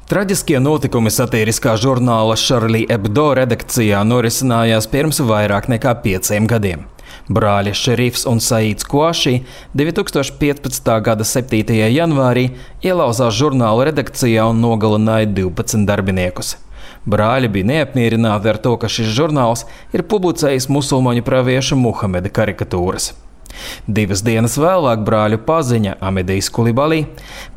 Traģiskie notikumi satiriskā žurnāla Charlie Hebdo redakcijā norisinājās pirms vairāk nekā 5 gadiem. Brāļi Šerifs un Saīds Kuaši 2015. gada 7. janvārī ielauzās žurnāla redakcijā un nogalināja 12 darbiniekus. Brāļi bija neapmierināti ar to, ka šis žurnāls ir publicējis musulmaņu pravieša Muhameda karikatūras. 2 dienas vēlāk brāļu paziņa Amedijs Kulibalī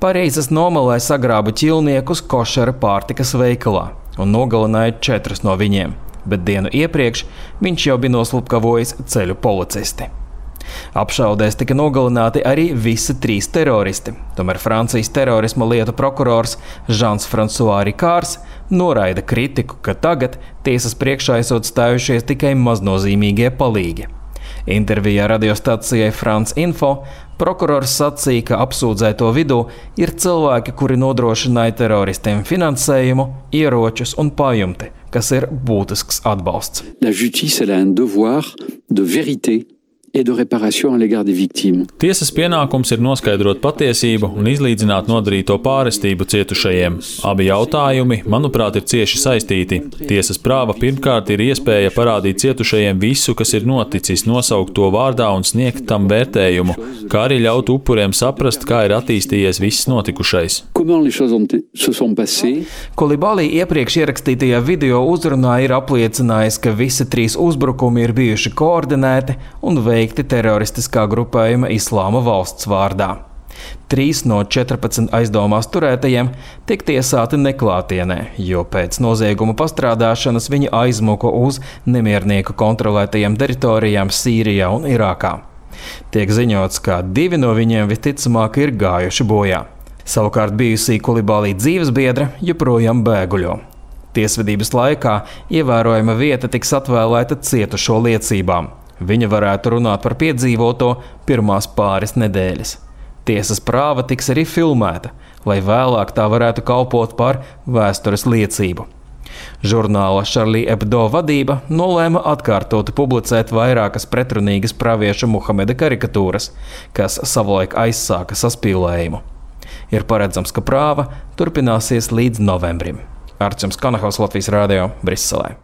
pareizes nomalē sagrāba ķilniekus košera pārtikas veikalā un nogalināja 4 no viņiem, bet dienu iepriekš viņš jau bija noslupkavojis ceļu policisti. Apšaudēs tika nogalināti arī visi 3 teroristi, tomēr Francijas terorisma lietu prokurors Žans Fransuā Rikārs noraida kritiku, ka tagad tiesas priekšā esot stājušies tikai maznozīmīgie palīgi. Intervijā radiostacijai France Info prokurors sacīja, ka apsūdzēto vidū ir cilvēki, kuri nodrošināja teroristiem finansējumu, ieročus un pajumti, kas ir būtisks atbalsts. La justice a un devoir de vérité et de réparation à l'égard des victimes. Tiesas pienākums ir noskaidrot patiesību un izlīdzināt nodarīto pārestību cietušajiem. Abi jautājumi, manuprāt, ir cieši saistīti. Tiesas prāva pirmkārt ir iespēja parādīt cietušajiem visu, kas ir noticis, nosaukt to vārdā un sniegt tam vērtējumu, kā arī ļaut upuriem saprast, kā ir attīstījies viss notikušais. Kulibalī iepriekš ierakstītajā video uzrunā ir apliecinājis, ka visi 3 uzbrukumi ir bijuši koordinēti un veikti teroristiskā grupējuma Islāma valsts vārdā. 3 no 14 aizdomās turētajiem tiek tiesāti neklātienē, jo pēc nozieguma pastrādāšanas viņi aizmuka uz nemiernieku kontrolētajām teritorijām Sīrijā un Irākā. Tiek ziņots, ka 2 no viņiem visticamāk ir gājuši bojā. Savukārt bijusī Kulibalī dzīvesbiedre joprojām bēguļo. Tiesvedības laikā ievērojama vieta tiks atvēlēta cietušo liecībām. Viņa varētu runāt par piedzīvoto pirmās pāris nedēļas. Tiesas prāva tiks arī filmēta, lai vēlāk tā varētu kalpot par vēstures liecību. Žurnāla Charlie Hebdo vadība nolēma atkārtoti publicēt vairākas pretrunīgas pravieša Muhameda karikatūras, kas savulaik aizsāka saspīlējumu. Ir paredzams, ka prāva turpināsies līdz novembrim. Arčuns Kanahaus, Latvijas radio, Briselē.